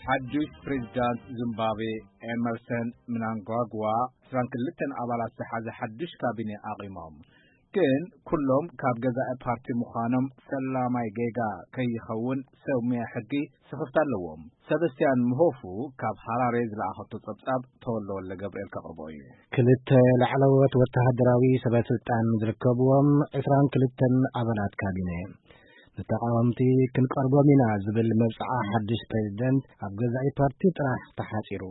ሓዱሽ ፕሬዚዳንት ዚምባብዌ ኤመርሰን ምናንጓግዋ ዕስራን ክልተን ኣባላት ዝሓዘ ሓዱሽ ካቢኔ ኣቒሞም። ግን ኩሎም ካብ ገዛኢ ፓርቲ ምዃኖም ፈላማይ ጌጋ ከይኸውን ሰብ ሙያ ሕጊ ስኽፍታ ኣለዎም። ሰበስቲያን ምሆፉ ካብ ሃራሬ ዝለኣኸቶ ጸብጻብ ተወልደ ወልደ ገብርኤል ከቕርቦ እዩ። ክልተ ላዕለዎት ወተሃደራዊ ሰበስልጣን ዝርከብዎም ዕስራን ክልተን ኣባላት ካቢነ፣ ንተቓወምቲ ክንቀርቦም ኢና ዝብል መብጽዓ ሓድሽ ፕሬዚደንት ኣብ ገዛኢ ፓርቲ ጥራሕ ተሓጺሩ።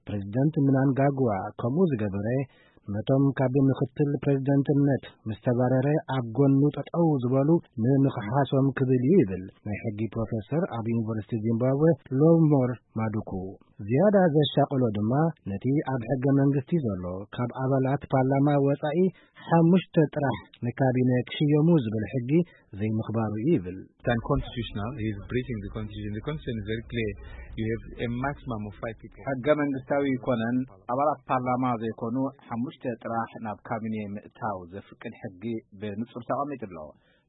ፕሬዚደንት ምናንጋግዋ ከምኡ ዝገበረ፣ ነቶም ካብ ምኽትል ፕሬዚደንትነት ምስ ተባረረ ኣብ ጎኑ ጠጠው ዝበሉ ንምኽሓሶም ክብል እዩ ይብል ናይ ሕጊ ፕሮፌሰር ኣብ ዩኒቨርሲቲ ዚምባብዌ ሎቭሞር ማዱኩ። ዝያዳ ዘሻቕሎ ድማ ነቲ ኣብ ሕገ መንግስቲ ዘሎ ካብ ኣባላት ፓርላማ ወጻኢ ሓሙሽተ ጥራሕ ንካቢነ ክሽየሙ ዝብል ሕጊ ዘይምኽባሩ እዩ ይብል። It's unconstitutional. He is breaching the constitution. The constitution is very clear. You have a maximum of five people. ሕገ መንግስታዊ ይኮነን ኣባላት ፓርላማ ዘይኮኑ ሓሙሽተ ጥራሕ ናብ ካቢኔ ምእታው ዘፍቅድ ሕጊ ብንጹር ተቐሚጡ ኣሎ።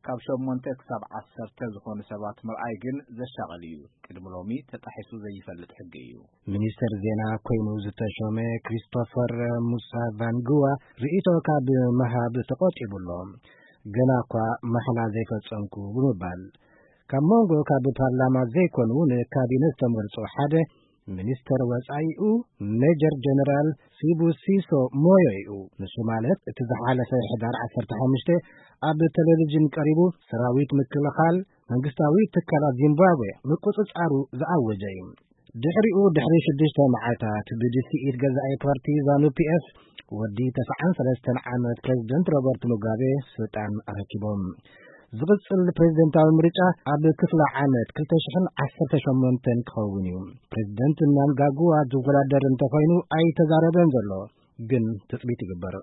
ካብ ሸሞንተ ክሳብ ዓሰርተ ዝኾኑ ሰባት ምርኣይ ግን ዘሻቕል እዩ። ቅድሚ ሎሚ ተጣሒሱ ዘይፈልጥ ሕጊ እዩ። ሚኒስተር ዜና ኮይኑ ዝተሾመ ክሪስቶፈር ሙሳቫንግዋ ርእይቶ ካብ ምሃብ ተቖጢቡ ኣሎ። ገና እኳ ማሕላ ዘይፈጸምኩ ብምባል፣ ካብ መንጎ ካብ ፓርላማ ዘይኮኑ ንካቢነ ዝተመርጹ ሓደ ሚኒስተር ወጻኢኡ ሜጀር ጀነራል ሲቡሲሶ ሞዮ እዩ። ንሱ ማለት እቲ ዝሓለፈ ሕዳር ዓሰርተ ሓሙሽተ ኣብ ቴሌቪዥን ቀሪቡ ሰራዊት ምክልኻል መንግስታዊ ትካላት ዚምባብዌ ምቁጽጻሩ ዝኣወጀ እዩ። ድሕሪኡ ድሕሪ ሽዱሽተ መዓልታት ብድስኢት ገዛኢ ፓርቲ ዛኑ ፒኤፍ ወዲ ተስዓን ሰለስተን ዓመት ፕሬዚደንት ሮበርት ሙጋቤ ስልጣን ኣረኪቦም። ዝቕጽል ፕሬዚደንታዊ ምርጫ ኣብ ክፍለ ዓመት ክልተ ሽሕን ዓሰርተ ሸሞንተን ክኸውን እዩ። ፕሬዚደንት ምናንጋግዋ ዝወዳደር እንተኾይኑ ኣይተዛረበን ዘሎ፣ ግን ትጽቢት ይግበር።